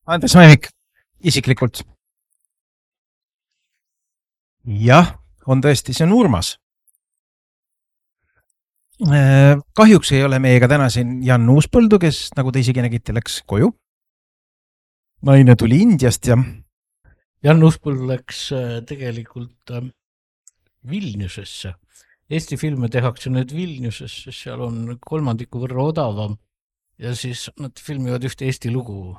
Andres Mäevik, isiklikult. Jah, on tõesti, see on Urmas. Kahjuks ei ole meiega täna siin Jan Uuspõldu, kes, nagu te isegi nägite, läks koju. Naine tuli Indiast ja Jan Uuspõld läks tegelikult Vilniusesse. Eesti filme tehakse nüüd Vilniusesse, seal on kolmandiku võrra odavam ja siis nad filmivad ühte Eesti lugu.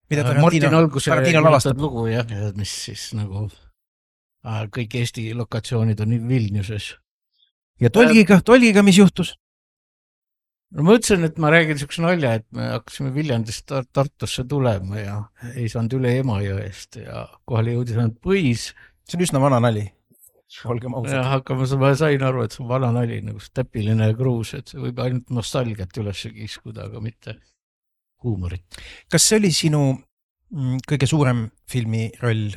mida Tarantino lavastab lugu, jah, mis siis nagu kõik Eesti lokatsioonid on Vilniuses. Ja tolgiga mis juhtus? No ma ütlesin, et ma räägin niisuguse nalja, et me hakkasime Viljandist Tartusse tulema ja ei saanud üle Emajõest ja kohale jõudis ainult Põis. See on üsna vana nali. Aga ma sain aru, et see on vana nali, nagu täpiline kruus, et see võib ainult nostalgiat üles kiskuda, aga mitte huumorit. Kas see oli sinu kõige suurem filmi roll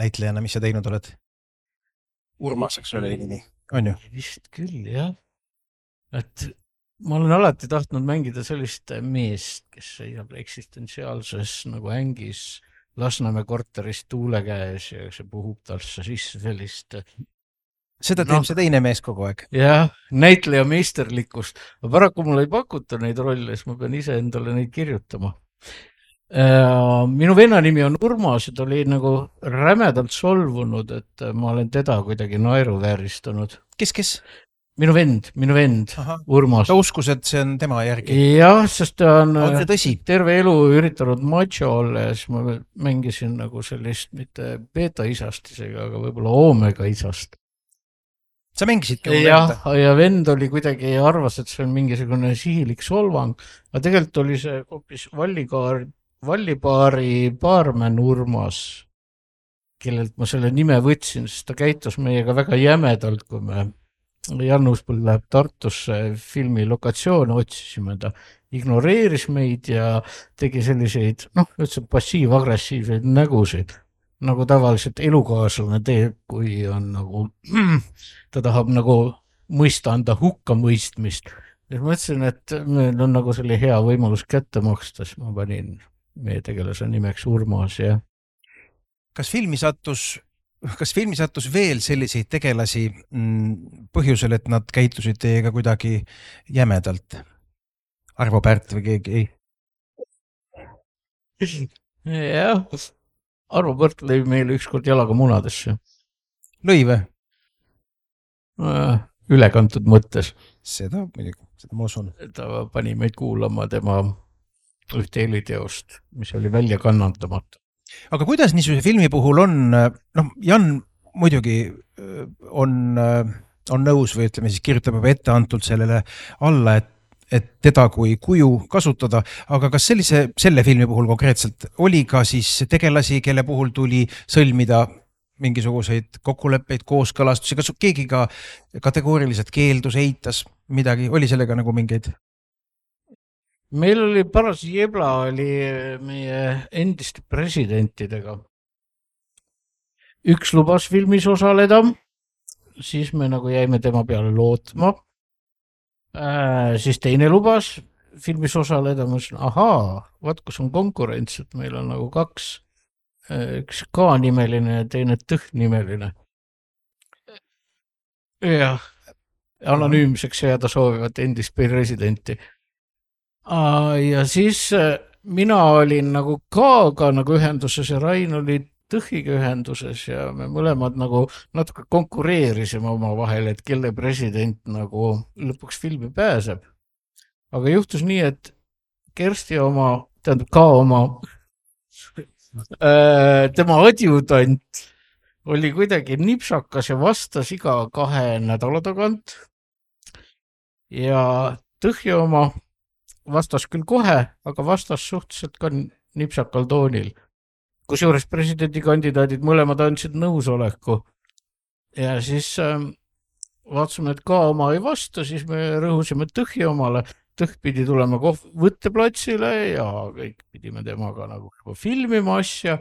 näitlejana, mis sa teinud oled? Urmas, eks ole nimi, on ju? Vist küll, jah. Et ma olen alati tahtnud mängida sellist meest, kes seisab eksistentsiaalses nagu ängis Lasnamäe korteris tuule käes ja see puhub talsse sisse sellist. Seda teeb see teine mees kogu aeg. Jah, näitleja meisterlikkust. Paraku mul ei pakuta neid rolle, siis ma pean ise endale neid kirjutama. Minu venna nimi on Urmas ja ta oli nagu rämedalt solvunud, et ma olen teda kuidagi naeruvääristanud. Kes? Minu vend, Urmas. Ta uskus, et see on tema järgi. Jah, sest ta on terve elu üritanud macho olla ja siis ma mängisin nagu sellist mitte beta isast isegi, aga võib-olla omega isast. Sa mängisidki venda? Ja vend oli kuidagi arvas, et see on mingisugune sihilik solvang, aga tegelikult oli see hoopis Vallipaari baarmen Urmas, kellelt ma selle nime võtsin, sest ta käitus meiega väga jämedalt, kui me Jan Uuspõld läheb Tartusse filmi lokatsioone, otsisime, ta ignoreeris meid ja tegi selliseid, üldse passiiv-agressiivseid nägusid, nagu tavaliselt elukaaslane teeb, kui on nagu, ta tahab nagu mõista anda hukkamõistmist. Ja ma mõtlesin, et meil on nagu selle hea võimalus kätte maksta, siis ma panin meie tegelase nimeks Urmas ja Kas filmi sattus veel selliseid tegelasi põhjusel, et nad käitusid teiega kuidagi jämedalt? Arvo Pärt või keegi? Jah, Arvo Pärt lõi meile ükskord jalaga munadesse. Lõi või? Ülekantud mõttes. Seda ma usun. Ta pani meid kuulama tema ühte heliteost, mis oli välja kannandamata. Aga kuidas niisuguse filmi puhul on, Jan muidugi on nõus või ütleme siis kirjutab juba etteantult sellele alla, et teda kui kuju kasutada, aga kas selle filmi puhul konkreetselt oli ka siis tegelasi, kelle puhul tuli sõlmida mingisuguseid kokkuleppeid, kooskõlastusi, kas keegi ka kategooriliselt keeldus, eitas midagi, oli sellega nagu mingeid? Meil oli paras jebla oli meie endiste presidentidega. Üks lubas filmis osaleda, siis me nagu jäime tema peale lootma. Siis teine lubas filmis osaleda, ma ütlesin, vaat kus on konkurents, et meil on nagu kaks, üks K-nimeline ja teine Tõh-nimeline. Jah, anonüümseks jääda soovivat endist presidenti. Ja siis mina olin nagu K-ga nagu ühenduses ja Rain oli Tõhiga ühenduses ja me mõlemad nagu natuke konkureerisime oma vahel, et kelle president nagu lõpuks filmi pääseb. Aga juhtus nii, et Kersti oma, tähendab K oma, tema adjutant oli kuidagi nipsakas ja vastas iga 2 nädala tagant ja Tõhi oma vastas küll kohe, aga vastas suhteliselt ka nipsakal toonil. Kusjuures presidendikandidaadid mõlemad andsid nõusoleku. Ja siis vaatasime, et ka oma ei vasta, siis me rõhusime Tõhi omale. Tõh pidi tulema võtteplatsile ja kõik pidime temaga nagu filmima asja.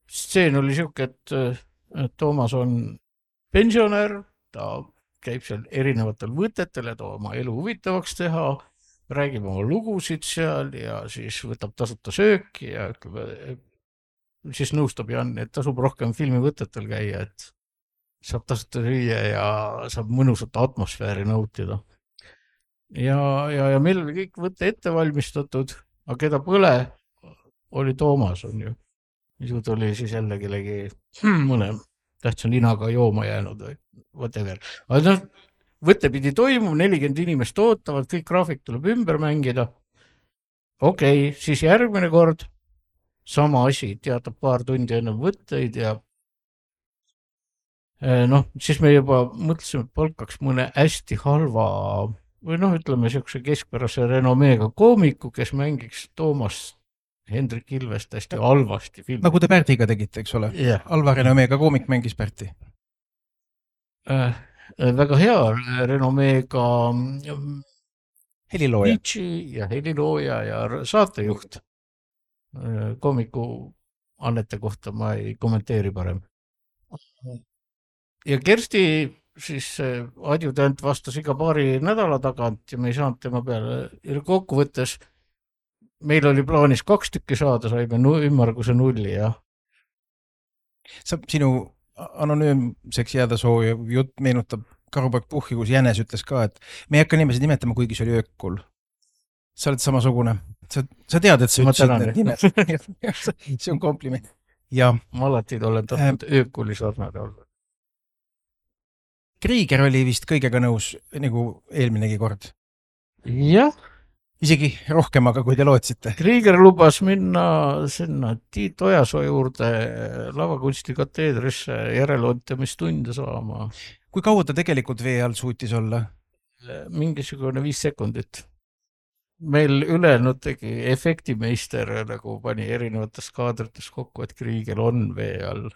Stseen oli siuke, et Toomas on pensionär, ta käib seal erinevatel võtetel, et oma elu huvitavaks teha. räägib oma lugusid seal ja siis võtab tasuta sööki ja ütleb, siis nõustab Jan, et tasub rohkem filmivõtetel käia, et saab tasuta süüa ja saab mõnusat atmosfääri nautida. Ja meil oli kõik võtte ette valmistatud, aga keda põle oli Toomas, on ju. Ju tuli siis jälle kellegi mõne tähtsa ninaga jooma jäänud või whatever. Aga võte pidi toimuma, 40 inimest ootavad, kõik graafik tuleb ümber mängida. Okei, siis järgmine kord sama asi, teatab paar tundi enne võtteid ja siis me juba mõtlesime, et palkaks mõne hästi halva või ütleme siukse keskpärase renomeega koomiku, kes mängiks Toomas Hendrik Ilvest hästi halvasti filmi. Nagu te Pärdiga tegite, eks ole? Yeah. Halva renomeega koomik mängis Pärti. Väga hea renomeega helilooja ja helilooja ja saatejuht. Koomiku annete kohta ma ei kommenteeri parem. Ja Kersti siis adjutant vastas iga paari nädala tagant ja me ei saanud tema peale kokkuvõttes. Meil oli plaanis 2 tükki saada, saime ümmarguse 0 ja. Sinu anonüümseks jääda sooviv jutt meenutab Karupoeg Puhhi, kus Jänes ütles ka, et me ei hakka nimesid nimetama, kuigi see oli öökul. Sa oled samasugune. Sa tead, et sa ütlesid need nimed. See on kompliment. Ja ma alati olen tahtnud öökuli sarnade olla. Krieger oli vist kõigega nõus nagu eelminegi kord. Jah. Isegi rohkem, aga kui te lootsite. Krieger lubas minna sinna Tiit Ojasoo juurde lavakunsti kateedrisse järeloontamistunde saama. Kui kaua ta tegelikult vee all suutis olla? Mingisugune 5 sekundit. Meil ülejäänud tegi efektimeister nagu pani erinevates kaadrites kokku, et Krieger on vee all.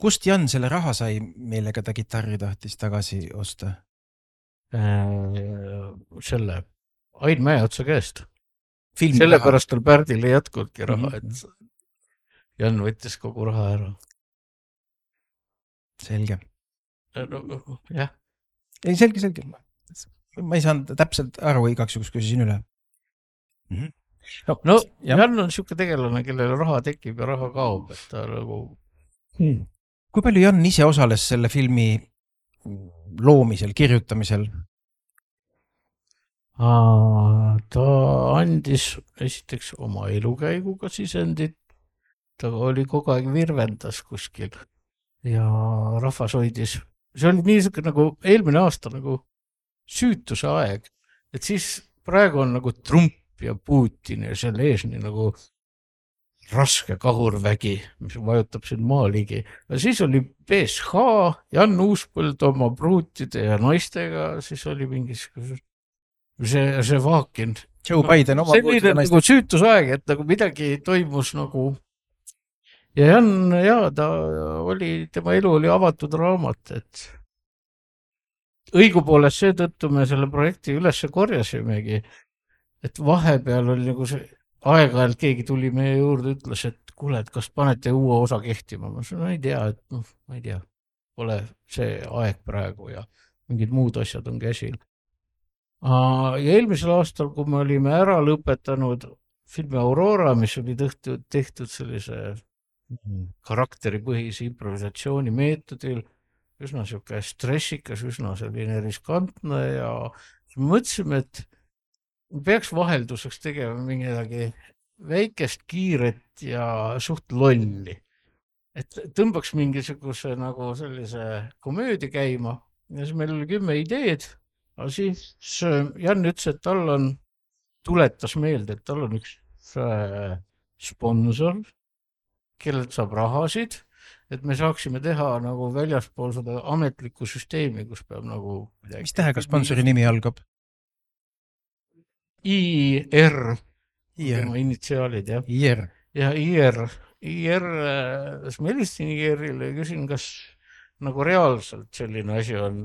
Kust Jan selle raha sai, millega ta kitarri tahtis tagasi osta? Selle Ain Mäeotsa käest. Sellepärast tal Pärdil ei jätkultki raha, et Jan võttis kogu raha ära. Selge. Jah. Ei, selge. Ma ei saanud täpselt aru, igaks juhuks küsisin üle. Jan on siuke tegelane, kellele raha tekib ja raha kaob, et ta nagu... Kui palju Jan ise osales selle filmi loomisel, kirjutamisel? Ta andis esiteks oma elukäiguga sisendit, ta oli kogu aeg virvendas kuskil ja rahvas hoidis. See oli niisugune nagu eelmine aasta nagu süütuse aeg, et siis praegu on nagu Trump ja Putin ja selle ees nii nagu raske kahurvägi, mis vajutab siin maaligi. Ja siis oli BSH, Jan Uuspõld oma pruutide ja naistega, siis oli mingisugune see Vaakin. Joe Biden oma pruutide naistega. Nagu süütusaeg, et nagu midagi toimus nagu... Ja Jan, ta oli, tema elu oli avatud raamat, et õigupoolest seetõttu me selle projekti üles korjasimegi, et vahepeal oli nagu see aeg-ajalt keegi tuli meie juurde, ütles, et kuule, et kas panete uue osa kehtima? Ma ütlesin, ei tea, et ma ei tea, pole see aeg praegu ja mingid muud asjad on käsil. Ja eelmisel aastal, kui me olime ära lõpetanud filmi Aurora, mis oli tehtud sellise karakteripõhise improvisatsiooni meetodil, üsna siuke stressikas, üsna selline riskantne ja mõtlesime, et peaks vahelduseks tegema midagi väikest, kiiret ja suht lolli. Et tõmbaks mingisuguse nagu sellise komöödia käima ja siis meil oli 10 ideed, aga siis Jan ütles, et tal tuletas meelde, et tal on üks sponsor, kellelt saab rahasid, et me saaksime teha nagu väljaspool seda ametlikku süsteemi, kus peab nagu... Mis tähega sponsori nimi algab? IR. Tema initsiaalid, jah. IR. Ja IR. Siis ma helistasin IR-ile ja küsin, kas nagu reaalselt selline asi on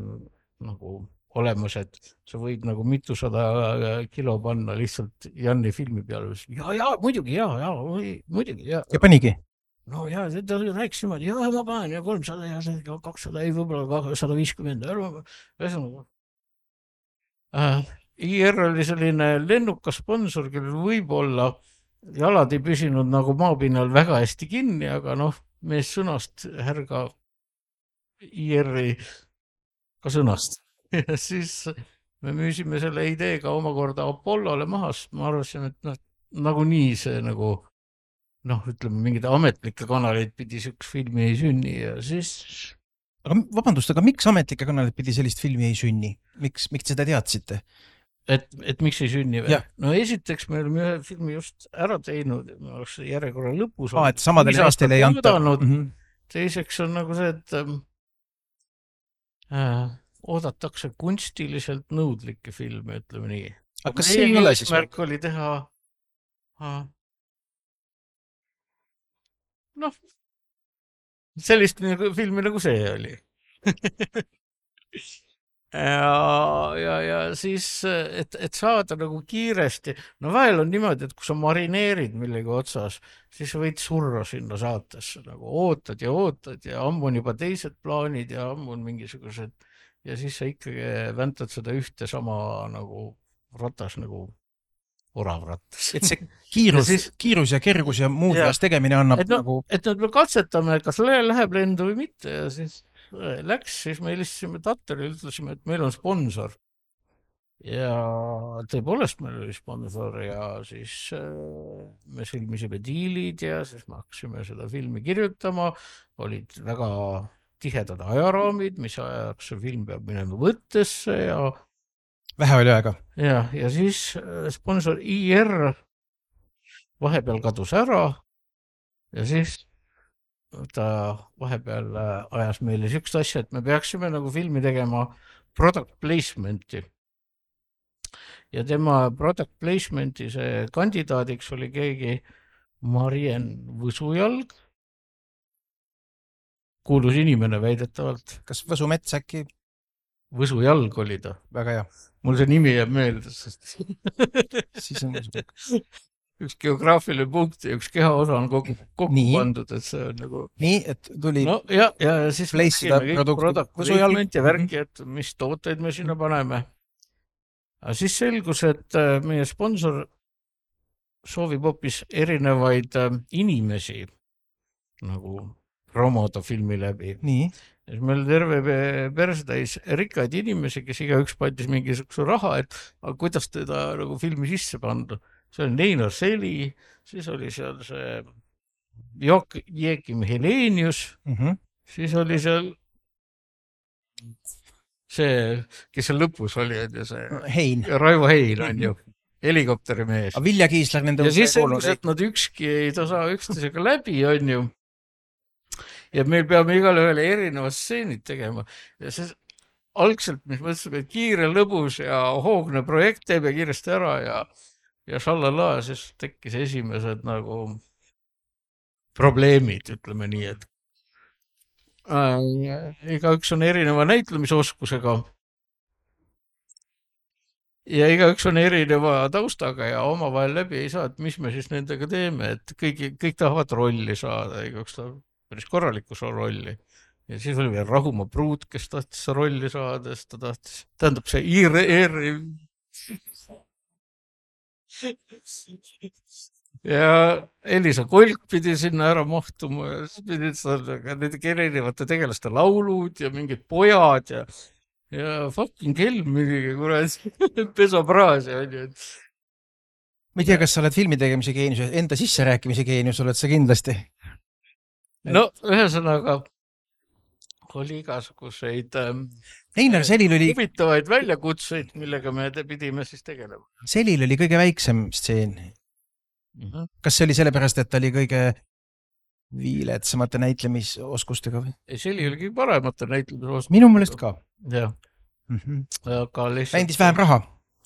nagu olemas, et sa võid nagu mitusada kilo panna lihtsalt Janni filmi peale. Ja, muidugi, muidugi, ja. Ja panigi? No ja, ta rääkis niimoodi, ja ma panen ja 300 ja 200, ei võib-olla 150. IR oli selline lennukas sponsor, kellel võib-olla jalad ei püsinud nagu maapinnal väga hästi kinni, aga noh, mees sõnast härga IR-i ka sõnast. Ja siis me müüsime selle ideega omakorda Apollole maha, sest ma arvasin, et nagunii see nagu ütleme, mingid ametlikke kanaleid pidi üks filmi ei sünni ja siis... Aga vabandust, aga miks ametlikke kanaleid pidi sellist filmi ei sünni? Miks seda teadsite? Et miks ei sünni või? No esiteks me olime ühe filmi just ära teinud, me oleks järjekorra lõpus. Et samadele aastele ei anta. Teiseks on nagu see, et oodatakse kunstiliselt nõudlikke filme, ütleme nii. Aga kas see ei ole siis? Märk oli teha sellist filmi nagu see oli. ja siis, et saada nagu kiiresti, vahel on niimoodi, et kui sa marineerid millegi otsas, siis võid surra sinna saatesse, nagu ootad ja ammu on juba teised plaanid ja ammu on mingisugused ja siis sa ikkagi väntad seda ühte sama nagu ratas nagu oravrattas. Et see kiirus ja kergus ja muud vajas tegemine annab nagu... Et me katsetame, kas läheb lendu või mitte ja siis läks, siis me helistasime Tatterile, ütlesime, et meil on sponsor. Ja tõepoolest meil oli sponsor ja siis me sõlmisime diilid ja siis me hakkasime seda filmi kirjutama. Olid väga tihedad ajaraamid, mis ajaks see film peab minema võttesse ja vähe oli aega. Ja siis sponsor IR vahepeal kadus ära ja siis ta vahepeal ajas meile sükst asja, et me peaksime nagu filmi tegema product placement'i. Ja tema product placement'i see kandidaadiks oli keegi Marien Võsujalg. Kuulus inimene väidetavalt. Kas Võsumets äkki? Võsujalg oli ta. Väga hea. Mul see nimi jääb meelde, sest siis on üks geograafiline punkt ja üks kehaosa on kokku pandud, et see on nagu... Nii, et tuli... ja siis me tegime kõik product placement ja värki, et mis tooteid me sinna paneme. Aga siis selgus, et meie sponsor soovib hoopis erinevaid inimesi nagu promoda filmi läbi. Nii. Meil terve persetäis rikkaid inimesi, kes igaüks pandis mingisuguse raha, et kuidas teda nagu filmi sisse panda. See oli Neinar Seli, siis oli seal see Joakim Helenius, siis oli seal see, kes seal lõpus oli, Hein. Raivo Hein on ju, helikopterimees. Vilja Kiisler nende... Ja siis selgus, et nad ükski ei saa üksteisega läbi, on ju. Ja meil peame igal ühele erinevad stseenid tegema. Ja see algselt, mis mõtlesime, et kiire, lõbus ja hoogne projekt teeb ja kiiresti ära ja šallala, siis tekkis esimesed nagu probleemid, ütleme nii, et igaüks on erineva näitlemisoskusega ja igaüks on erineva taustaga ja omavahel läbi ei saa, et mis me siis nendega teeme, et kõik tahavad rolli saada, igaüks tahab päris korraliku rolli. Ja siis oli veel Rahumaa Pruut, kes tahtis rolli saada, sest ta tahtis, tähendab see IR. Ja Elisa Kolk pidi sinna ära mahtuma ja siis pidid need erinevate tegelaste laulud ja mingid pojad ja fucking Helm midagi, kurat, pesopraas ja on ju. Ma ei tea, kas sa oled filmi tegemise geenius, enda sisse rääkimise geenius oled sa kindlasti. No, ühesõnaga oli igasuguseid Neinar Selil oli huvitavaid väljakutseid, millega me pidime siis tegelema. Selil oli kõige väiksem stseen. Kas see oli sellepärast, et ta oli kõige viiletsamate näitlemisoskustega või? Ei, Seli oli kõige paremate näitlemisoskustega. Minu meelest ka. Jah. Aga lihtsalt... Mängis vähem raha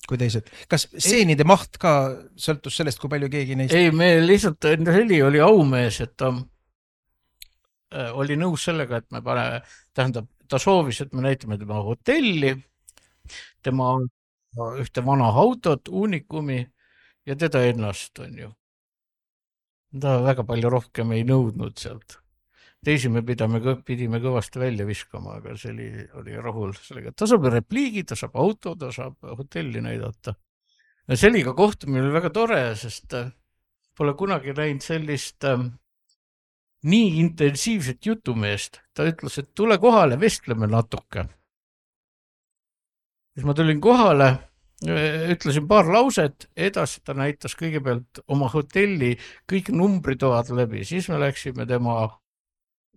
kui teised. Kas stseenide maht ka sõltus sellest, kui palju keegi neist... Ei, me lihtsalt, Seli oli aumees, et ta oli nõus sellega, et me tähendab, ta soovis, et me näitame tema hotelli, tema ühte vana autot, Unicumi ja teda ennast, on ju. Ta väga palju rohkem ei nõudnud sealt. teisi me pidime kõvasti välja viskama, aga see oli rahul sellega. Ta saab repliigi, ta saab auto, ta saab hotelli näidata. Ja Seliga kohtumine oli väga tore, sest pole kunagi näinud sellist nii intensiivset jutumeest. Ta ütles, et tule kohale, vestleme natuke. Siis ma tulin kohale, ütlesin paar lauset, edasi ta näitas kõigepealt oma hotelli kõik numbritoad läbi, siis me läksime tema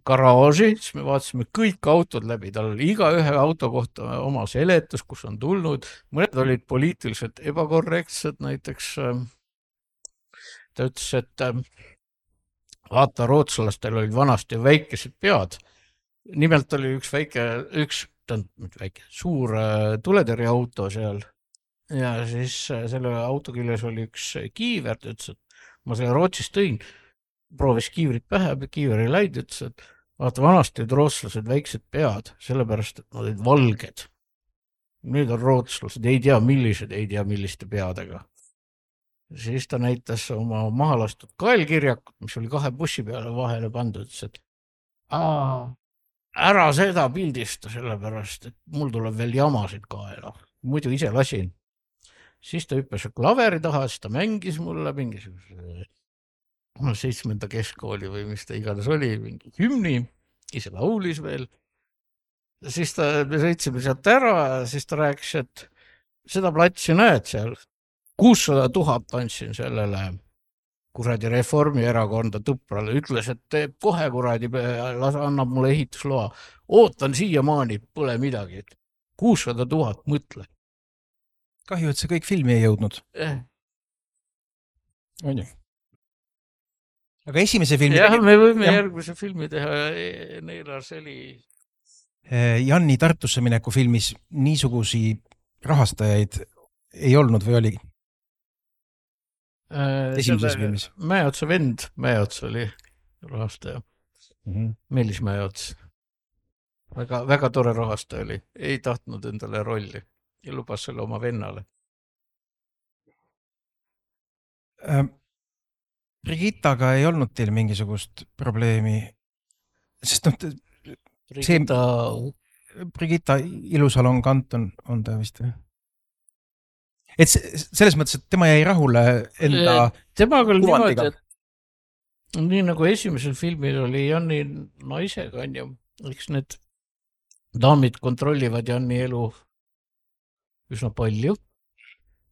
garaaži, siis me vaatasime kõik autod läbi, tal oli iga ühe auto kohta oma seletus, kus on tulnud, mõned olid poliitiliselt ebakorrektsed, näiteks ta ütles, et vaata, rootslastel olid vanasti väikesed pead, nimelt oli üks suur tuletõrjeauto seal ja siis selle auto küljes oli üks kiiver, ta ütles, et ma selle Rootsist tõin, proovis kiivrit pähe, kiiver ei läinud, ütles, et vaata, vanasti olid rootslased väiksed pead, sellepärast, et nad olid valged. Nüüd on rootslased, ei tea milliste peadega. Siis ta näitas oma mahalastud kaelkirjakut, mis oli 2 bussi peale vahele pandud, ütles, et ära seda pildista, sellepärast, et mul tuleb veel jamasid kaela. Muidu ise lasin. Siis ta hüppas klaveri taha, siis ta mängis mulle mingisuguse 7. keskkooli või mis ta iganes oli, mingi hümni, ise laulis veel. Siis me sõitsime sealt ära, siis ta rääkis, et seda platsi näed seal, 600 000 andsin sellele kuradi Reformierakonda Tõprale, ütles, et teeb kohe kuradi, annab mulle ehitusloa. Ootan siiamaani, pole midagi. 600 000, mõtle. Kahju, et see kõik filmi ei jõudnud. On ju? Aga esimese filmi... Jah, me võime järgmise filmi teha Neila Seli. Janni Tartusse mineku filmis niisugusi rahastajaid ei olnud või oligi? Esimeses filmis. Mäeotsa vend, Mäeots oli rahastaja. Meelis Mäeots. Väga tore rahastaja oli. Ei tahtnud endale rolli ja lubas selle oma vennale. Brigittaga ei olnud teil mingisugust probleemi, sest Brigitta Ilusalon Kanton on ta vist või? Et selles mõttes, et tema jäi rahule enda temaga oli niimoodi, et nii nagu esimesel filmil oli Janni naisega, eks need daamid kontrollivad Janni elu üsna palju,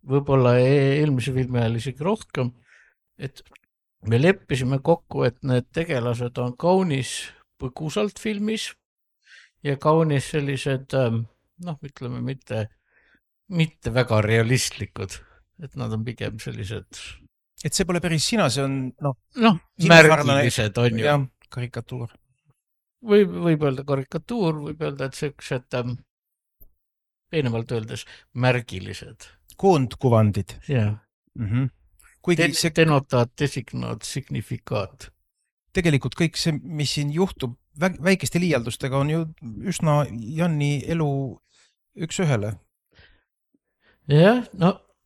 võib-olla eelmise filmi ajal isegi rohkem, et me leppisime kokku, et need tegelased on kaunis põgusalt filmis ja kaunis sellised, ütleme, mitte väga realistlikud, et nad on pigem sellised... Et see pole päris sina, see on märgilised on ju. Ja, karikatuur. Võib öelda karikatuur, võib öelda, et sellised peenemalt öeldes märgilised. Koondkuvandid. Jah. Denotaat, designaat, signifikaat. Tegelikult kõik see, mis siin juhtub väikeste liialdustega, on ju üsna Janni elu üks ühele. Jah,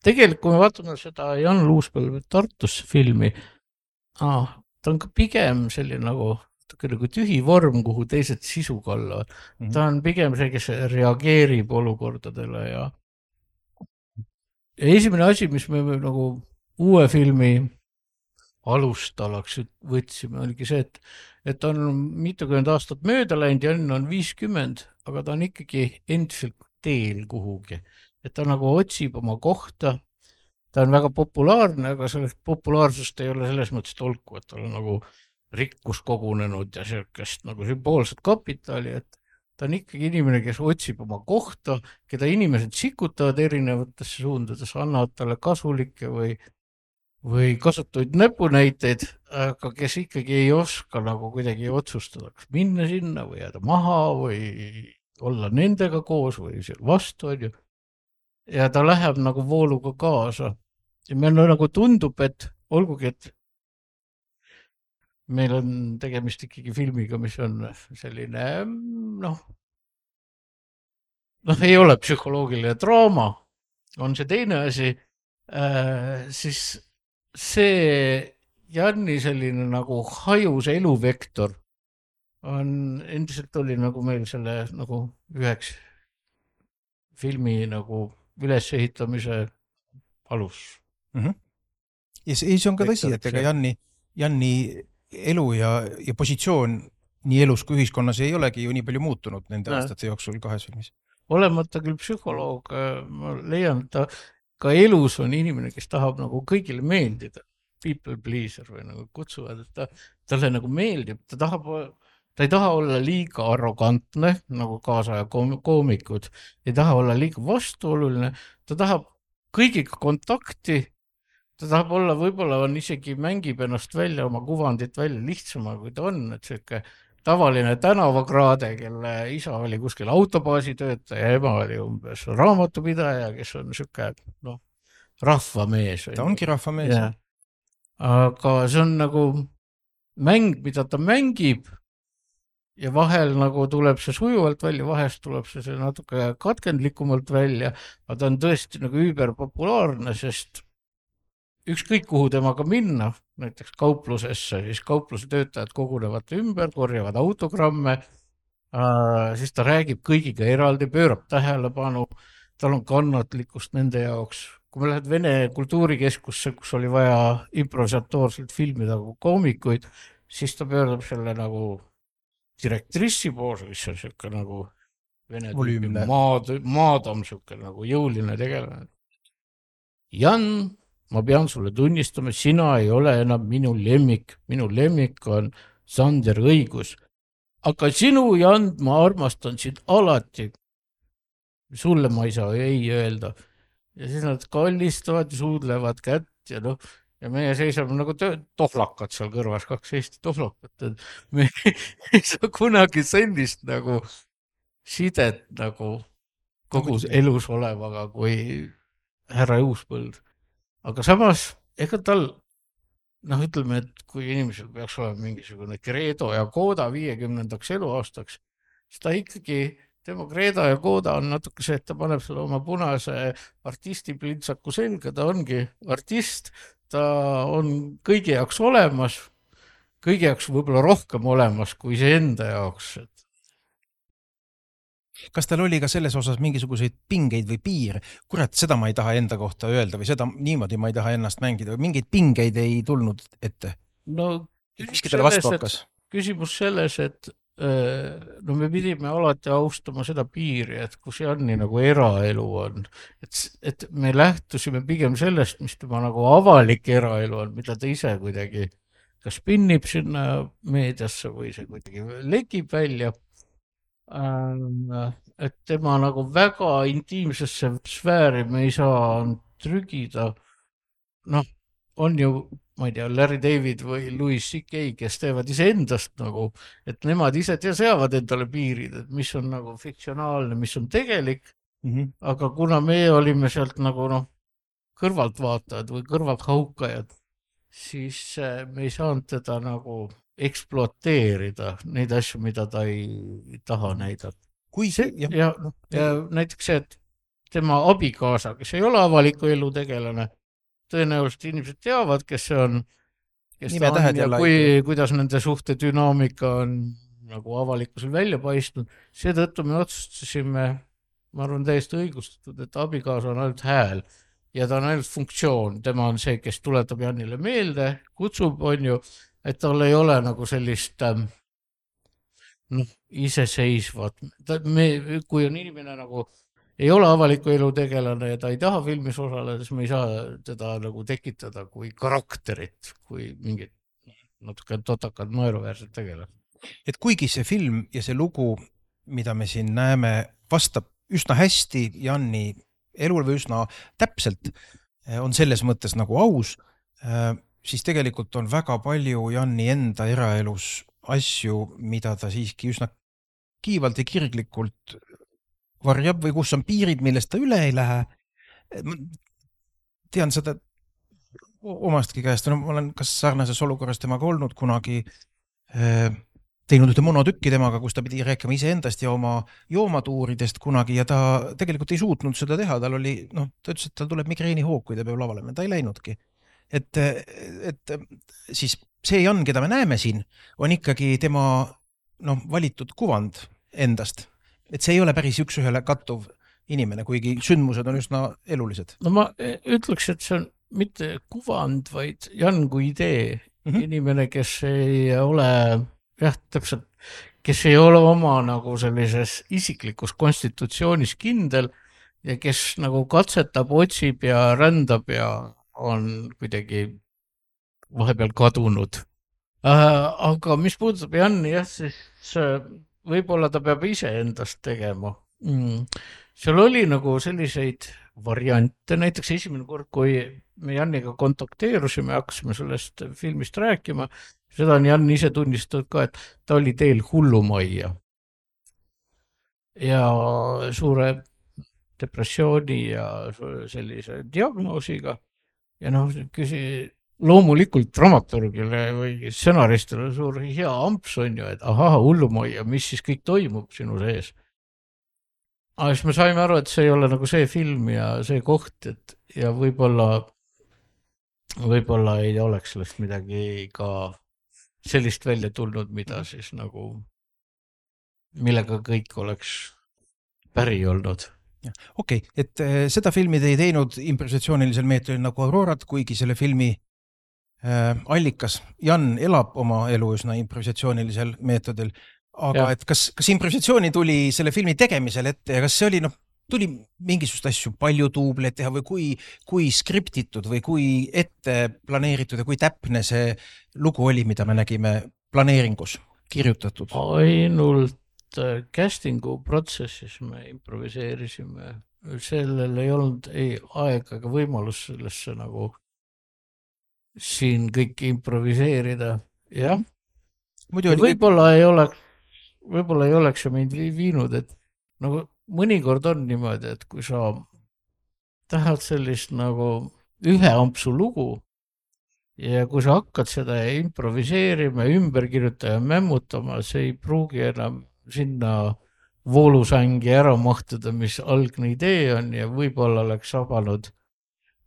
tegelikult kui me vaatame seda Jan Luuspõlve Tartus filmi, ta on ka pigem selline nagu tühi vorm, kuhu teised sisu kallavad. Ta on pigem see, kes reageerib olukordadele ja esimene asi, mis me nagu uue filmi alustalaks võtsime, oligi see, et on mitukümmend aastat mööda läinud, Jan on 50, aga ta on ikkagi endiselt teel kuhugi. Et ta nagu otsib oma kohta, ta on väga populaarne, aga sellest populaarsust ei ole selles mõttes tolku, et ta on nagu rikkus kogunenud ja sellist nagu sümboolset kapitali, et ta on ikkagi inimene, kes otsib oma kohta, keda inimesed sikutavad erinevatesse suundades, annavad talle kasulikke või kasutuid näpunäiteid, aga kes ikkagi ei oska nagu kuidagi otsustada, kas minna sinna või jääda maha või olla nendega koos või seal vastu on ju. Ja ta läheb nagu vooluga kaasa. Ja meil nagu tundub, et olgugi, et meil on tegemist ikkagi filmiga, mis on selline, ei ole psühholoogiline draama, on see teine asi, siis see Janni selline nagu hajus eluvektor endiselt oli nagu meil selle nagu üheks filmi nagu ülesehitamise alus. Ja see on ka tõsi, et ega Janni elu ja positsioon nii elus kui ühiskonnas ei olegi ju nii palju muutunud nende aastate jooksul 2 filmis. Olemata küll psühholoog, ma leian, et ta ka elus on inimene, kes tahab nagu kõigile meeldida. People pleaser või nagu kutsuvad, et talle nagu meeldib, ta ei taha olla liiga arrogantne, nagu kaasaja koomikud, ei taha olla liiga vastuoluline, ta tahab kõigiga kontakti, ta tahab olla, võib-olla on isegi mängib ennast välja, oma kuvandit välja lihtsama, kui ta on, et selline tavaline tänavakraade, kelle isa oli kuskil autobaasi töötaja, ema oli umbes raamatupidaja, kes on selline rahvamees. Ta ongi rahvamees. Ja. Aga see on nagu mäng, mida ta mängib ja vahel nagu tuleb see sujuvalt välja, vahest tuleb see natuke katkendlikumalt välja, aga ta on tõesti nagu üüberpopulaarne, sest ükskõik kuhu temaga minna, näiteks kauplusesse, siis kaupluse töötajad kogunevad ümber, korjavad autogramme, siis ta räägib kõigiga eraldi, pöörab tähelepanu, tal on kannatlikkust nende jaoks. Kui me lähed Vene kultuurikeskusse, kus oli vaja improvisatoorselt filmida koomikuid, siis ta pöördab selle nagu direktrissi poole, mis on selline nagu Vene maadam, selline nagu jõuline tegelane. Jan, ma pean sulle tunnistama, sina ei ole enam minu lemmik on Sander Õigus. Aga sinu, Jan, ma armastan sind alati. Sulle ma ei saa ei öelda. Ja siis nad kallistavad ja suudlevad kätt ja ja meie seisame nagu tohlakad seal kõrvas, 2 Eesti tohlakat. Me ei saa kunagi sellist nagu sidet nagu kogu elus olevaga kui härra Juuspõld. Aga samas, ega tal, ütleme, et kui inimesel peaks olema mingisugune kreedo ja kooda 50. eluaastaks, siis ta ikkagi, tema kreedo ja kooda on natuke see, et ta paneb selle oma punase artisti plintsaku selga, ta ongi artist, ta on kõigi jaoks olemas, kõigi jaoks võib-olla rohkem olemas kui see enda jaoks. Kas tal oli ka selles osas mingisuguseid pingeid või piire? Kurat, seda ma ei taha enda kohta öelda või seda niimoodi ma ei taha ennast mängida või mingeid pingeid ei tulnud ette? Miski talle vastu hakkas? Küsimus selles, et me pidime alati austama seda piiri, et kus Janni nagu eraelu on. Et me lähtusime pigem sellest, mis tema nagu avalik eraelu on, mida ta ise kuidagi kas pinnib sinna meediasse või see kuidagi lekib välja. Et tema nagu väga intiimsesse sfääri me ei saa trügida. On ju, ma ei tea, Larry David või Louis C.K., kes teevad iseendast nagu, et nemad ise seavad endale piirid, et mis on nagu fiktsionaalne, mis on tegelik, aga kuna me olime sealt nagu kõrvaltvaatajad või kõrvalthaukajad, siis me ei saanud teda nagu ekspluateerida neid asju, mida ta ei taha näidata. Ja näiteks see, et tema abikaasa, kes ei ole avaliku elu tegelane, tõenäoliselt inimesed teavad, kes see on, kes ta on ja kuidas nende suhte dünaamika on nagu avalikkusel välja paistnud. Seetõttu me otsustasime, ma arvan täiesti õigustatud, et abikaasa on ainult hääl ja ta on ainult funktsioon. Tema on see, kes tuletab Jannile meelde, kutsub, on ju, et tal ei ole nagu sellist iseseisvat. Kui on inimene nagu ei ole avaliku elu tegelane ja ta ei taha filmis osaleda, siis me ei saa teda nagu tekitada kui karakterit, kui mingid natuke totakad naeruväärsed tegelad. Et kuigi see film ja see lugu, mida me siin näeme, vastab üsna hästi Janni elul või üsna täpselt, on selles mõttes nagu aus, siis tegelikult on väga palju Janni enda eraelus asju, mida ta siiski üsna kiivalt ja kirglikult varjab või kus on piirid, millest ta üle ei lähe. Tean seda omastki käest, ma olen kas sarnases olukorras temaga olnud kunagi, teinud ühte monotükki temaga, kus ta pidi rääkima iseendast ja oma joomatuuridest kunagi ja ta tegelikult ei suutnud seda teha, ta ütles, et tal tuleb migreenihoog, kui ta peab lavalema, ta ei läinudki. Et siis see Jan, keda me näeme siin, on ikkagi tema valitud kuvand endast, et see ei ole päris üks-ühele kattuv inimene, kuigi sündmused on üsna elulised. No ma ütleks, et see on mitte kuvand, vaid Jan kui idee. Inimene, kes ei ole, täpselt, kes ei ole oma nagu sellises isiklikus konstitutsioonis kindel ja kes nagu katsetab, otsib ja rändab ja on kuidagi vahepeal kadunud. Aga mis puudutab Janni, siis võib-olla ta peab ise endast tegema. Seal oli nagu selliseid variante, näiteks esimene kord, kui me Janniga kontakteerusime, hakkasime sellest filmist rääkima, seda on Jan ise tunnistanud ka, et ta oli teel hullumajja ja suure depressiooni ja sellise diagnoosiga ja loomulikult dramaturgile või stsenaristile suur hea amps on ju, et hullumajja, mis siis kõik toimub sinu sees. Aga siis me saime aru, et see ei ole nagu see film ja see koht, ja võib-olla ei oleks sellest midagi ka sellist välja tulnud, mida siis nagu, millega kõik oleks päri olnud. Okei, et seda filmi te ei teinud improvisatsioonilisel meetodil nagu Aurorat, kuigi selle filmi allikas Jan elab oma elu üsna improvisatsioonilisel meetodil. Aga et kas improvisatsiooni tuli selle filmi tegemisel ette ja kas see oli, tuli mingisugust asju palju duubleid teha või kui skriptitud või kui ette planeeritud ja kui täpne see lugu oli, mida me nägime planeeringus kirjutatud? Ainult castingu protsessis me improviseerisime. Sellel ei olnud ei aega ega võimalus sellesse nagu siin kõik improviseerida. Jah. Võib-olla ei oleks see meid viinud, et nagu mõnikord on niimoodi, et kui sa tahad sellist nagu ühe ampsu lugu ja kui sa hakkad seda improviseerima, ümber kirjutada ja mämmutama, see ei pruugi enam sinna voolusängi ära mahtuda, mis algne idee on ja võib-olla oleks sabanud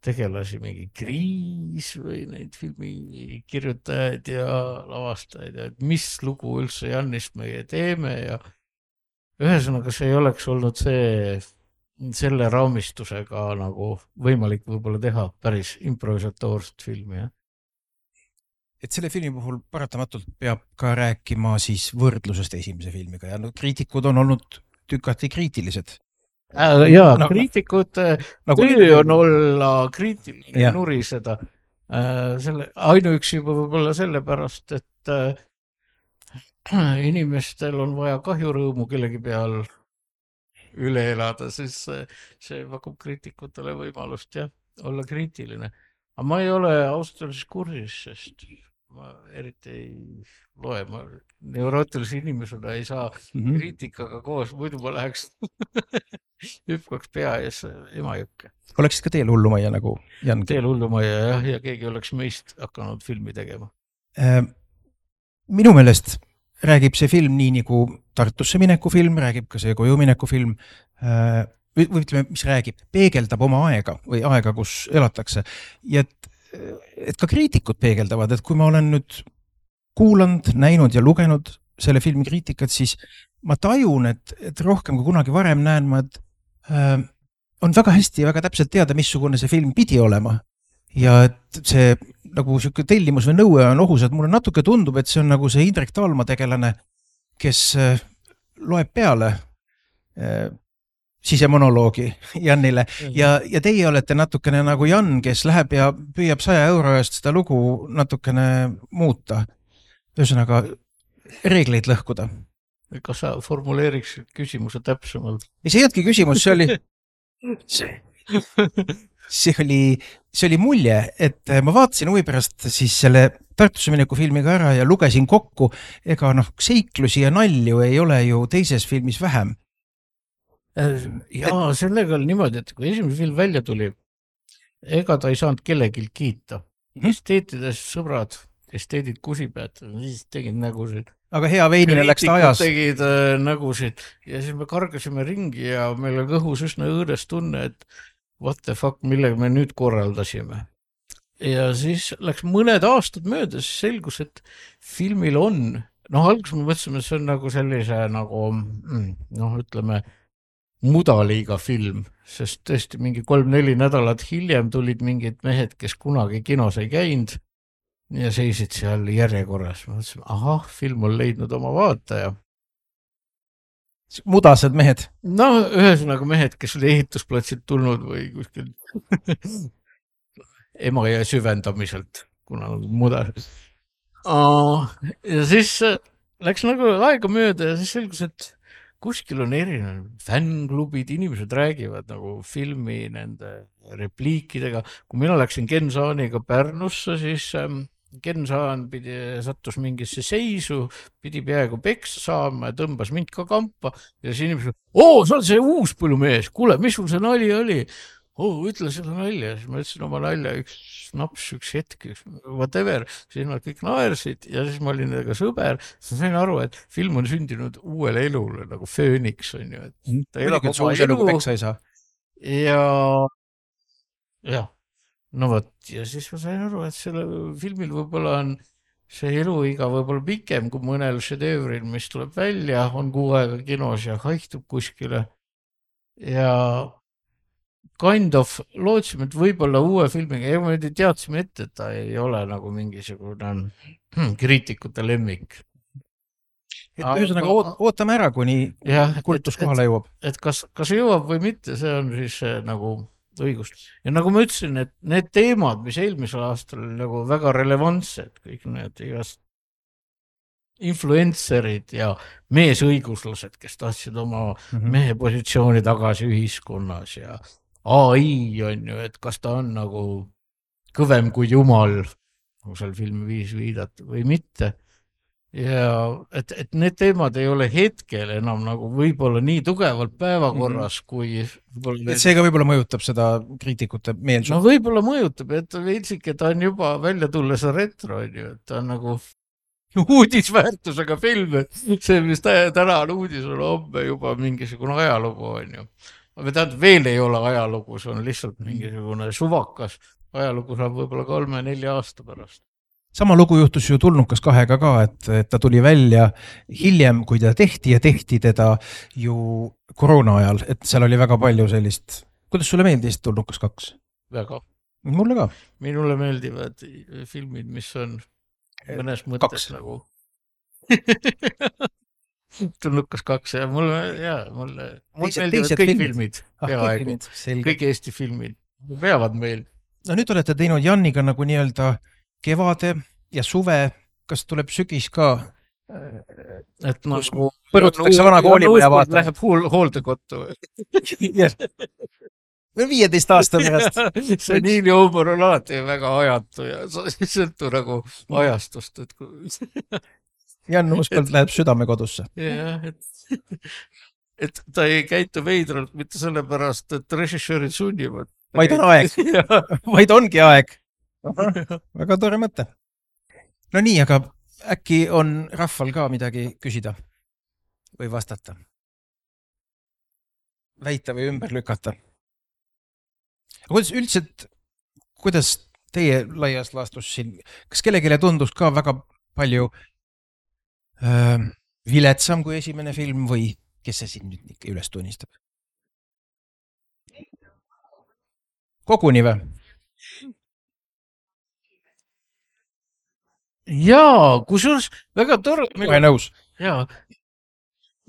tegelasi mingi kriis või neid filmi kirjutajaid ja lavastajaid ja mis lugu üldse Jannist meie teeme ja ühesõnaga see ei oleks olnud selle raamistusega nagu võimalik võib-olla teha päris improvisatoorset filmi. Ja? Et selle filmi puhul paratamatult peab ka rääkima siis võrdlusest esimese filmiga ja kriitikud on olnud tükati kriitilised. Jaa, kriitikud töö on olla kriitiline ja nuriseda. Ainuüksi võib-olla sellepärast, et inimestel on vaja kahjurõõmu kellegi peal üle elada, siis see pakub kriitikutele võimalust olla kriitiline. Aga ma ei ole ausalt öeldes kursis, sest ma eriti ei loe, ma neurootilise inimesena ei saa kriitikaga koos, muidu ma läheks hüppaks pea ees Emajõkke. Oleksid ka teel hullumajja nagu Jan? Teel hullumajja ja keegi oleks meist hakanud filmi tegema. Minu meelest räägib see film nii nagu Tartusse mineku film, räägib ka see koju mineku film, või ütleme, mis räägib, peegeldab oma aega või aega, kus elatakse. Ja et ka kriitikud peegeldavad, et kui ma olen nüüd kuulanud, näinud ja lugenud selle filmi kriitikat, siis ma tajun, et rohkem kui kunagi varem näen ma, et on väga hästi ja väga täpselt teada, missugune see film pidi olema. Ja et see nagu selline tellimus või nõue on ohus, et mulle natuke tundub, et see on nagu see Indrek Taalma tegelane, kes loeb peale sisemonoloogi Jannile ja teie olete natukene nagu Jan, kes läheb ja püüab 100 euro eest seda lugu natukene muuta. Ühesõnaga reegleid lõhkuda. Kas sa formuleeriks küsimuse täpsemalt? See ei jätki küsimus, see oli mulje, et ma vaatasin huvi pärast siis selle Tartusse mineku filmiga ära ja lugesin kokku, ega seiklusi ja nalju ei ole ju teises filmis vähem. Jaa, sellega oli niimoodi, et kui esimene film välja tuli, ega ta ei saanud kellelgi kiita. Esteetides sõbrad, esteedid kusipead, siis tegid nägusid. Aga hea veinile läks ta ajas. Tegid nägusid ja siis me kargasime ringi ja meil on õhus üsna õõdes tunne, et what the fuck, millega me nüüd korraldasime. Ja siis läks mõned aastad mööda, siis selgus, et filmil on noh, alguses me mõtlesime, et see on nagu sellise nagu noh, ütleme mudaliiga film, sest tõesti mingi 3-4 nädalat hiljem tulid mingid mehed, kes kunagi kinos ei käinud ja seisid seal järjekorras. Mõtlesime, ahah, film on leidnud oma vaataja. Mudased mehed. No ühesõnaga mehed, kes oli ehitusplatsilt tulnud või kuskil Emajõe süvendamiselt, kuna mudased. Ja siis läks nagu aega mööda ja siis selgus, et kuskil on erinev fännklubid, inimesed räägivad nagu filmi nende repliikidega. Kui mina läksin Ken Saaniga Pärnusse, siis Ken Saan sattus mingisse seisu, pidi peaaegu peksa saama ja tõmbas mind ka kampa ja siis inimesed, sa oled see uus põllumees, kuule, mis sul see nali oli? Ütle selle nalja, siis ma ütlesin oma nalja, üks naps, üks hetk, whatever, siis nad kõik naersid ja siis ma olin nendega sõber, siis sain aru, et film on sündinud uuele elule nagu fööniks on ju, et ta elab oma elu peksa ei saa. Ja no vot, ja siis ma sain aru, et selle filmil võib-olla on see eluiga võib-olla pikem kui mõnel šedevril, mis tuleb välja, on 6 aega kinos ja haihtub kuskile ja kind of lootsime, et võib-olla uue filmiga, ja me teadsime ette, et ta ei ole nagu mingisugune kriitikute lemmik. Ühesõnaga ootame ära, kuni kultus kohale jõuab. Et kas jõuab või mitte, see on siis nagu õigust. Ja nagu ma ütlesin, et need teemad, mis eelmisel aastal nagu väga relevantsed, kõik need igast influencerid ja meesõiguslased, kes tahtsid oma mehe positsiooni tagasi ühiskonnas ja AI on ju, et kas ta on nagu kõvem kui jumal, nagu seal filmi viis viidata või mitte. Ja et need teemad ei ole hetkel enam nagu võib-olla nii tugevalt päevakorras, kui et seega võib-olla mõjutab seda kriitikute meelsust. No võib-olla mõjutab, et veitsik, et ta on juba välja tulles retro, on ju, et ta on nagu uudisväärtusega film, see, mis täna on uudis, on homme juba mingisugune ajalugu, on ju. Aga tähendab, veel ei ole ajalugu, see on lihtsalt mingisugune suvakas. Ajalugu saab võib-olla 3-4 aasta pärast. Sama lugu juhtus ju Tulnukas 2-ga ka, et ta tuli välja hiljem, kui ta tehti ja tehti teda ju koroona ajal, et seal oli väga palju sellist. Kuidas sulle meeldis Tulnukas 2? Väga. Mulle ka. Minule meeldivad filmid, mis on mõnes mõttes nagu Tulnukas 2 ja mulle meeldivad kõik filmid. Kõik Eesti filmid peavad meil. No nüüd olete teinud Janniga nagu nii-öelda kevade ja suve, kas tuleb sügis ka? Et nagu põrutatakse vana koolimaja vaata. Läheb hooldekotu. 15 aasta pärast. See Niili huumor on alati väga ajatu ja see sõltu nagu ajastust. Jan Uuspõld läheb südamekodusse. Jah, et ta ei käitu veidralt mitte sellepärast, et režissöörid sunnivad. Vaid on aeg. Vaid ongi aeg. Väga tore mõte. No nii, aga äkki on rahval ka midagi küsida või vastata? Väita või ümber lükata? Kuidas teie laias laastus siin, kas kellegile tundus ka väga palju viletsam kui esimene film või kes see siin nüüd üles tunnistab? Koguni või? Jaa, kusjuures väga tore. Kohe nõus. Jaa.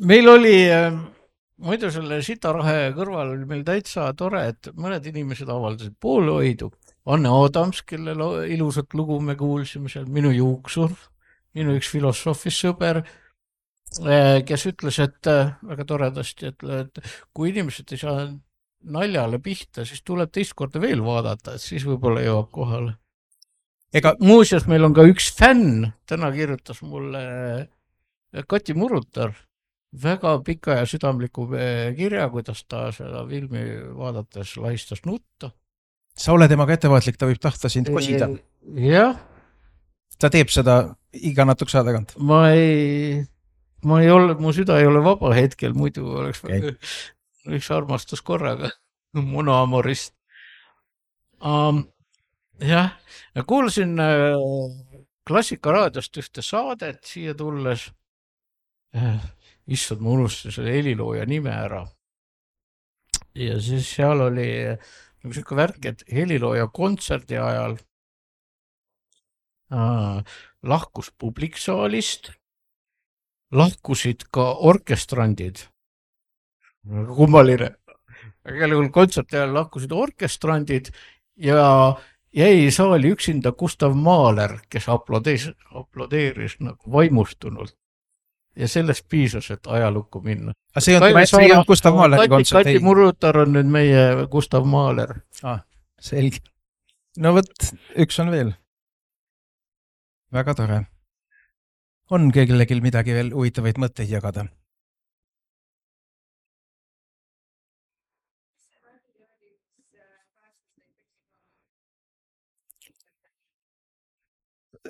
Meil oli, muidu selle Sitarahe kõrval oli meil täitsa tore, et mõned inimesed avaldasid poolehoidu. Anne Adams, kellel ilusat lugu me kuulsime seal, minu juuksur, minu üks filosoofis sõber, kes ütles, et väga toredasti, et kui inimesed ei saa naljale pihta, siis tuleb teist korda veel vaadata, et siis võib-olla jõuab kohale. Muuseas, meil on ka üks fänn, täna kirjutas mulle Kati Murutar väga pika ja südamliku kirja, kuidas ta seda filmi vaadates lahistas nutta. Sa ole temaga ettevaatlik, ta võib tahta sind kosida. Jah. Ta teeb seda iga natukese aja tagant. Mu süda ei ole vaba hetkel, muidu oleks üks armastus korraga. Monoamorist. Jah, kuulsin Klassikaraadiost ühte saadet siia tulles. Issand, ma unustasin selle helilooja nime ära. Ja siis seal oli nagu selline värk, et helilooja kontserdi ajal lahkus publiksaalist, lahkusid ka orkestrandid. Kummaline. Igal juhul kontserti ajal lahkusid orkestrandid ja jäi saali üksinda Gustav Mahler, kes aplodeeris nagu vaimustunult. Ja sellest piisas, et ajalukku minna. Aga see ei olnud Gustav Mahleri kontsert? Kati Murutar on nüüd meie Gustav Mahler. Selge. No võt, üks on veel. Väga tore. On kellelgi midagi veel huvitavaid mõtteid jagada?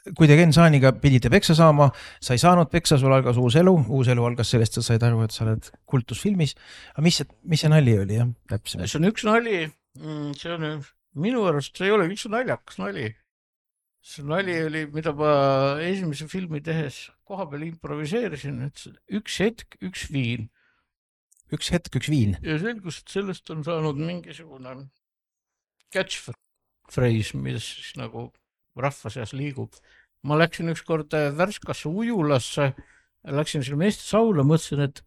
Kui te Ken Saaniga pidite peksa saama, sa ei saanud peksa, sul algas uus elu algas sellest, sa said aru, et sa oled kultusfilmis. Aga mis see nali oli? See on üks nali, see on minu arust, see ei ole üks naljakas nali. See nali oli, mida ma esimese filmi tehes koha peal improviseerisin, et üks hetk, üks viin. Üks hetk, üks viin. Ja selgus, et sellest on saanud mingisugune catchphrase, mis siis nagu rahva seas liigub. Ma läksin ükskord Värskasse ujulasse, läksin selle meeste sauna, mõtlesin, et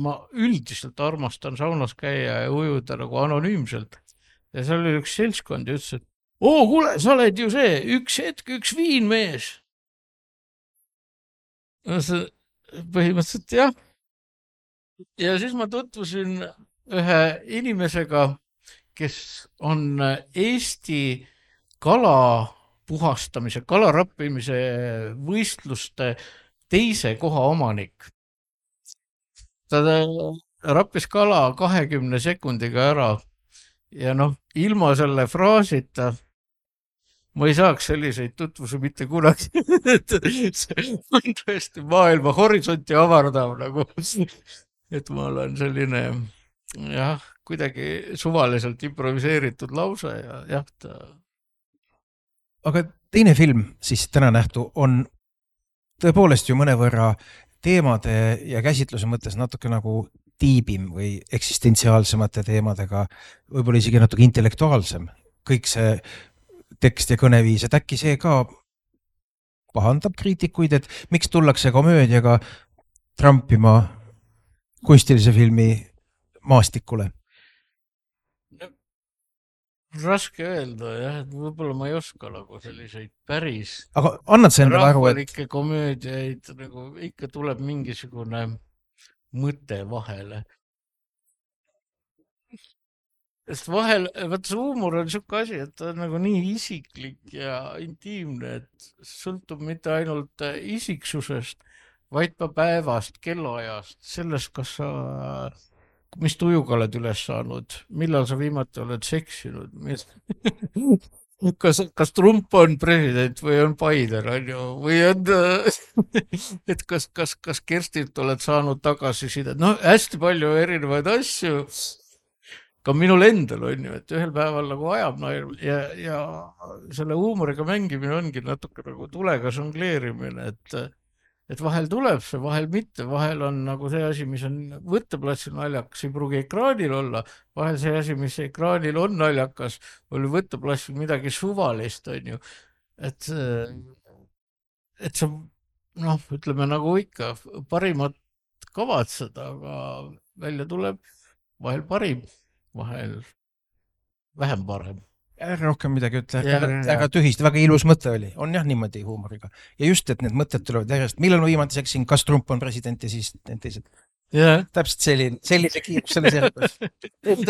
ma üldiselt armastan saunas käia ja ujuda nagu anonüümselt. Ja seal oli üks seltskond ja ütles, et kuule, sa oled ju see, üks hetk, üks viin mees. Põhimõtteliselt jah. Ja siis ma tutvusin ühe inimesega, kes on Eesti kala puhastamise, kalarappimise võistluste teise koha omanik. Ta rappis kala 20 sekundiga ära ja ilma selle fraasita ma ei saaks selliseid tutvusi mitte kunagi. See on tõesti maailma horisonti avardav nagu, et ma olen selline kuidagi suvaliselt improviseeritud lause ja jah, Aga teine film, siis täna nähtu, on tõepoolest ju mõnevõrra teemade ja käsitluse mõttes natuke nagu tiibim või eksistentsiaalsemate teemadega, võib-olla isegi natuke intellektuaalsem. Kõik see tekst ja kõneviis, et äkki see ka pahandab kriitikuid, et miks tullakse komöödiaga trampima kunstilise filmi maastikule? Raske öelda, jah, et võib-olla ma ei oska nagu selliseid päris aga annad sa endale aru, rahvalikke komöödiaid, nagu ikka tuleb mingisugune mõte vahele. Sest vahel, see huumor on siuke asi, et ta on nagu nii isiklik ja intiimne, et sõltub mitte ainult isiksusest, vaid ka päevast, kellaajast, sellest, mis tujuga oled üles saanud, millal sa viimati oled seksinud, kas Trump on president või on Biden, on ju, või on, et kas Kerstilt oled saanud tagasisidet, hästi palju erinevaid asju, ka minul endal on ju, et ühel päeval nagu ajab ja selle huumoriga mängimine ongi natuke nagu tulega žongleerimine, et vahel tuleb see, vahel mitte, vahel on nagu see asi, mis on võtteplatsil naljakas, ei pruugi ekraanil olla, vahel see asi, mis ekraanil on naljakas, oli võtteplatsil midagi suvalist, on ju, et sa, ütleme nagu ikka, parimat kavatseda, aga välja tuleb vahel parim, vahel vähem parem. Rohkem midagi ütle, väga tühist, väga ilus mõte oli, on jah niimoodi huumoriga. Ja just, et need mõtted tulevad järjest, millal ma viimati seksin, kas Trump on president ja siis need teised. Täpselt sellise kiirus selles järgus.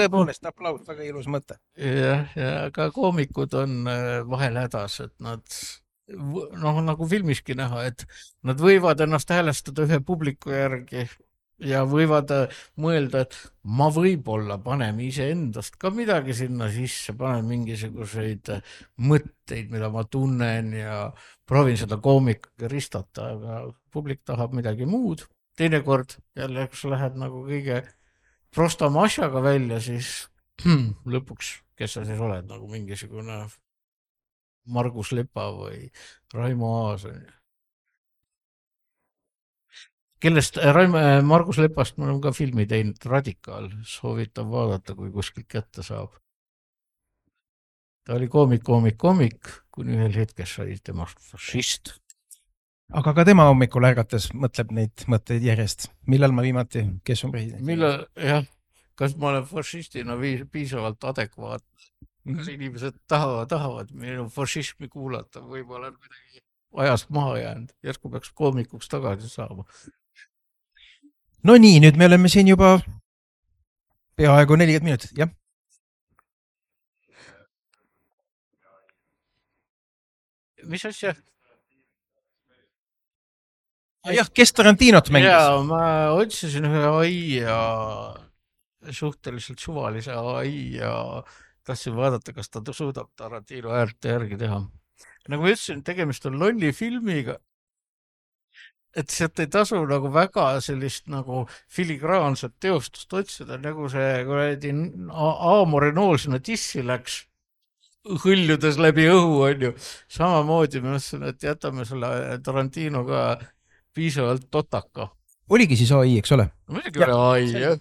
Tõepoolest, aplaus, väga ilus mõte. Ja aga koomikud on vahel hädas, et nad, nagu filmiski näha, et nad võivad ennast häälestada ühe publiku järgi ja võivad mõelda, et ma võib-olla panen iseendast ka midagi sinna sisse, panen mingisuguseid mõtteid, mida ma tunnen ja proovin seda koomikaga ristata, aga publik tahab midagi muud. Teinekord jälle, kui sa lähed nagu kõige prostama asjaga välja, siis lõpuks, kes sa siis oled, nagu mingisugune Margus Lepa või Raimo Aas. Kellest Margus Lepast me oleme ka filmi teinud, Radikaal, soovitan vaadata, kui kuskilt kätte saab. Ta oli koomik, kuni ühel hetkel sai temast fašist. aga ka tema hommikul ärgates mõtleb neid mõtteid järjest. millal ma viimati, kes on president? Jah, kas ma olen fašistina piisavalt adekvaatne? Kas inimesed tahavad minu fašismi kuulata, võib-olla on kuidagi ajast maha jäänud, järsku peaks koomikuks tagasi saama. No nii, nüüd me oleme siin juba peaaegu 40 minutit, jah. Mis asja? Jah, kes Tarantinot mängis? Jaa, ma otsisin ühe ai ja suhteliselt suvalise ai ja tahtsin vaadata, kas ta suudab Tarantino häält järgi teha. Nagu ma ütlesin, tegemist on lolli filmiga, et sealt ei tasu nagu väga sellist nagu filigraanset teostust otsida, nagu see kuradi Aamore nool sinna tissi läks, hõljudes läbi õhu, on ju. Samamoodi ma mõtlesin, et jätame selle Tarantino ka piisavalt totaka. Oligi siis ai, eks ole? Muidugi oli ai, jah.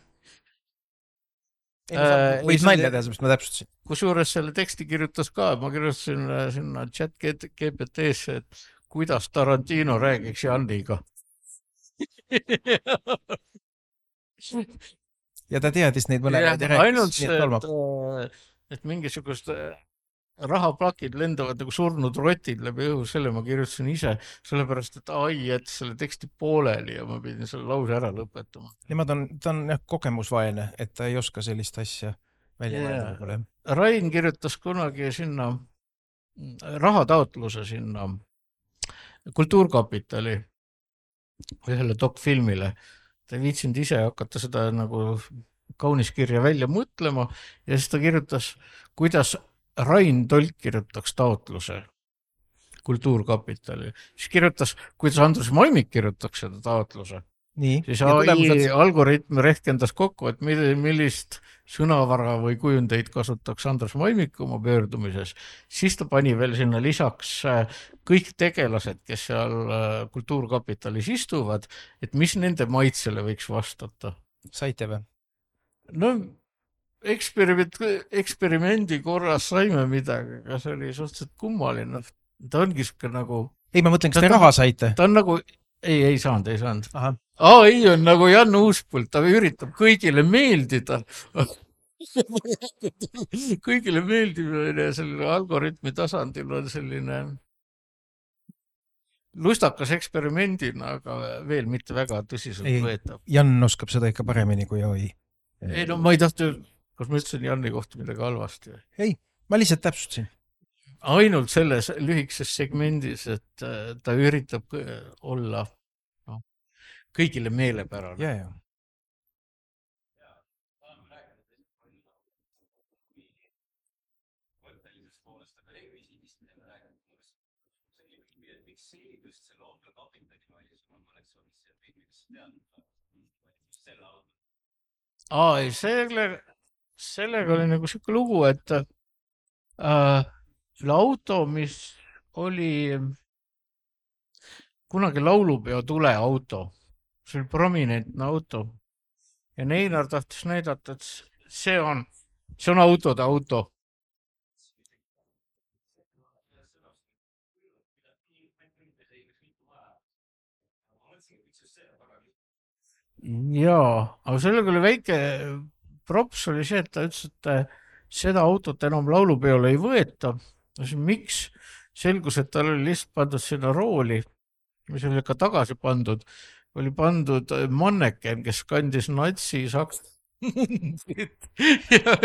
Võid nalja teha, sest ma täpsustasin. Kusjuures selle teksti kirjutas ka, ma kirjutasin sinna chat GPT-sse, et kuidas Tarantino räägiks Janniga. Ja ta teadis neid mõlemad ja rääkis. Ainult see, et mingisugust rahaplakid lendavad nagu surnud rotid läbi õhu, selle ma kirjutasin ise, sellepärast, et ai jättis selle teksti pooleli ja ma pidin selle lause ära lõpetama. Ta on kogemusvaene, et ta ei oska sellist asja välja mõelda. Rain kirjutas kunagi sinna rahataotluse sinna Kultuurkapitali ühele dokfilmile. Ta ei viitsinud ise hakata seda nagu kaunis kirja välja mõtlema ja siis ta kirjutas, kuidas Rain Tolk kirjutaks taotluse Kultuurkapitali. Siis kirjutas, kuidas Andrus Maimik kirjutaks seda taotluse. Nii. Siis ai algoritm rehkendas kokku, et millist sõnavara või kujundeid kasutaks Andrus Maimik oma pöördumises. Siis ta pani veel sinna lisaks kõik tegelased, kes seal Kultuurkapitalis istuvad, et mis nende maitsele võiks vastata. Saite või? No eksperimendi korras saime midagi, aga see oli suhteliselt kummaline. Ta ongi siuke nagu... Ei, ma mõtlen, kas te raha saite? Ta on nagu... Ei saanud. AI on nagu Jan Uuspult, ta üritab kõigile meeldida. Kõigile meeldimine selle algoritmi tasandil on selline lustakas eksperimendina, aga veel mitte väga tõsiselt võetav. Jan oskab seda ikka paremini kui AI. Ei, no ma ei tahtnud, kas ma ütlesin Janni kohta midagi halvasti? Ei, ma lihtsalt täpsustasin. Ainult selles lühikeses segmendis, et ta üritab olla kõigile meelepärane. Ja. Sellega oli nagu siuke lugu, et selle auto, mis oli kunagi laulupeo tuleauto, see oli prominentne auto ja Neinar tahtis näidata, et see on autode auto. Jaa, aga sellega oli väike props oli see, et ta ütles, et seda autot enam laulupeole ei võeta. Miks? Selgus, et tal oli lihtsalt pandud sinna rooli, mis oli ka tagasi pandud, oli pandud manneken, kes kandis natsi saks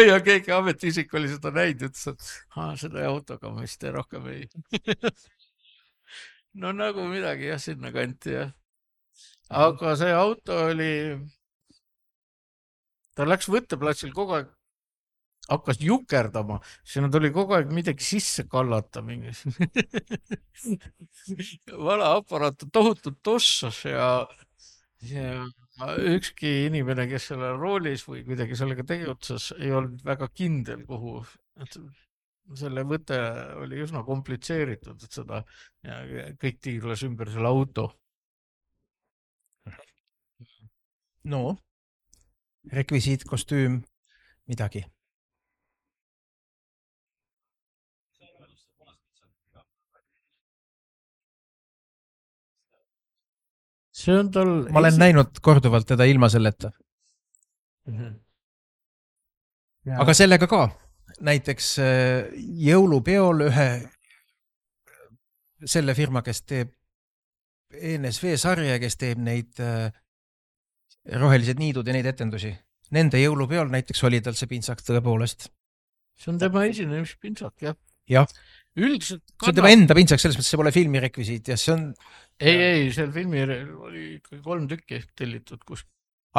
ja keegi ametiisik oli seda näinud, ütles, et seda autoga ma vist rohkem ei. No nagu midagi jah, sinna kanti jah. Aga see auto oli, ta läks võtteplatsil kogu aeg, hakkas jukerdama, sinna tuli kogu aeg midagi sisse kallata mingis. Vana aparaat tohutult tossas ja ükski inimene, kes selle roolis või kuidagi sellega tegutses, ei olnud väga kindel, kuhu. selle võte oli üsna komplitseeritud, et seda ja kõik tiirles ümber selle auto. no rekvisiit, kostüüm, midagi. see on tal ma olen näinud korduvalt teda ilma selleta. aga sellega ka. näiteks jõulupeol ühe selle firma, kes teeb ENSV sarja, kes teeb neid rohelised niidud ja neid etendusi. Nende jõulupeol näiteks oli tal see pintsak tõepoolest. see on tema esinemispintsak, jah. jah. Üldiselt see on tema enda pintsak, selles mõttes see pole filmi rekvisiit ja see on. ei, seal filmi oli ikkagi 3 tükki tellitud, kus.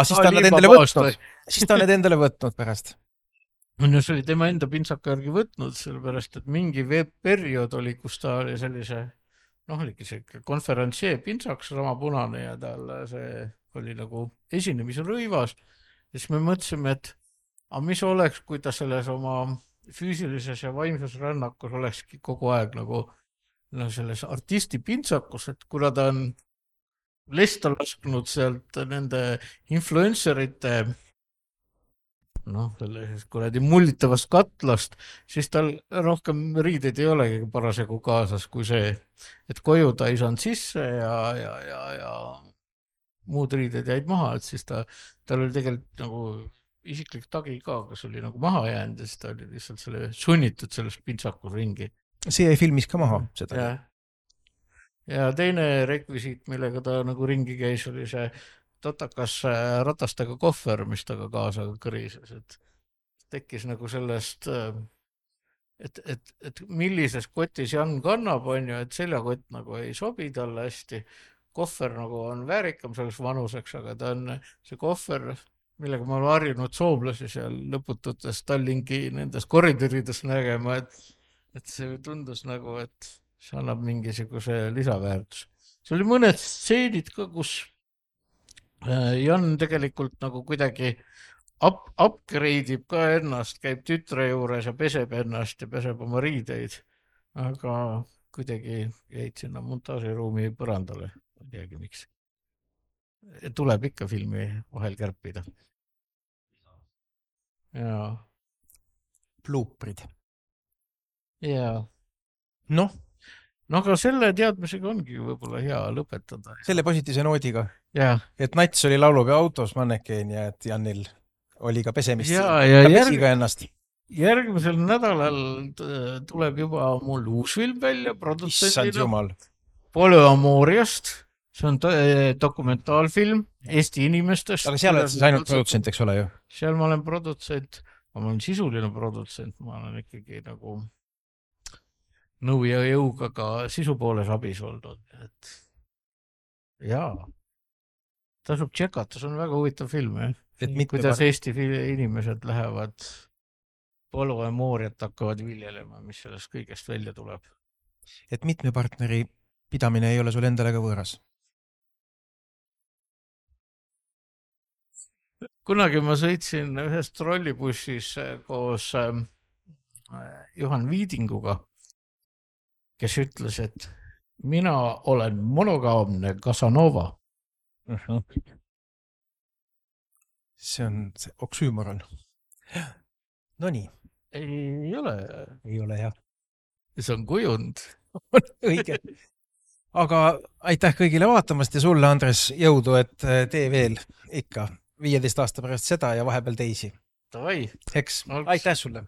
siis ta on need endale võtnud. siis ta on need endale võtnud pärast. no see oli tema enda pintsaka järgi võtnud, sellepärast et mingi periood oli, kus ta oli sellise, oligi see konverentsee pintsak, sama punane ja tal see oli nagu esinemisrõivas. ja siis me mõtlesime, et mis oleks, kui ta selles oma füüsilises ja vaimses rännakus olekski kogu aeg nagu selles artisti pintsakus, et kuna ta on lesta lasknud sealt nende influencerite sellisest kuradi mullitavast katlast, siis tal rohkem riideid ei olegi parasjagu kaasas kui see, et koju ta ei saanud sisse ja muud riided jäid maha, et siis tal oli tegelikult nagu isiklik tagi ka, kes oli nagu maha jäänud ja siis ta oli lihtsalt sunnitud selles pintsakus ringi. see jäi filmis ka maha, seda. ja teine rekvisiit, millega ta nagu ringi käis, oli see totakas ratastega kohver, mis taga kaasa kõrises, et tekkis nagu sellest, et millises kotis Jan kannab, on ju, et seljakott nagu ei sobi talle hästi. Kohver nagu on väärikam selleks vanuseks, aga ta on see kohver, millega ma olen harjunud soomlasi seal lõpututes Tallinki nendes koridorides nägema, et see tundus nagu, et see annab mingisuguse lisaväärtus. See oli mõned stseenid ka, kus Jan tegelikult nagu kuidagi upgrade ib ka ennast, käib tütre juures ja peseb ennast ja peseb oma riideid, aga kuidagi jäid sinna montaažiruumi põrandale, ei teagi miks. Tuleb ikka filmi vahel kärpida. jaa. Bluuprid. jaa. noh, aga selle teadmisega ongi võib-olla hea lõpetada. selle positiivse noodiga. et Nats oli laulupeo autos mannekeen ja et Janil oli ka pesemist. ta pesi ka ennast. järgmisel nädalal tuleb juba mul uus film välja produtsendina Polüamooriast. see on dokumentaalfilm Eesti inimestest. aga seal oled siis ainult produtsent, eks ole ju? seal ma olen produtsent, ma olen sisuline produtsent, ma olen ikkagi nagu nõu ja jõuga ka sisu pooles abis olnud, et jaa, tasub tšekata, see on väga huvitav film, kuidas Eesti inimesed lähevad polüamooriat hakkavad viljelema, mis sellest kõigest välja tuleb. et mitme partneri pidamine ei ole sul endale ka võõras? kunagi ma sõitsin ühes trollibussis koos Juhan Viidinguga, kes ütles, et mina olen monogaamne Casanova. see on see oksüümoron. Nonii. Ei ole jah. see on kujund. õige. aga aitäh kõigile vaatamast ja sulle, Andres, jõudu, et tee veel ikka 15 aasta pärast seda ja vahepeal teisi. Davai. Eks, aitäh sulle.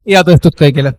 Head õhtut kõigile.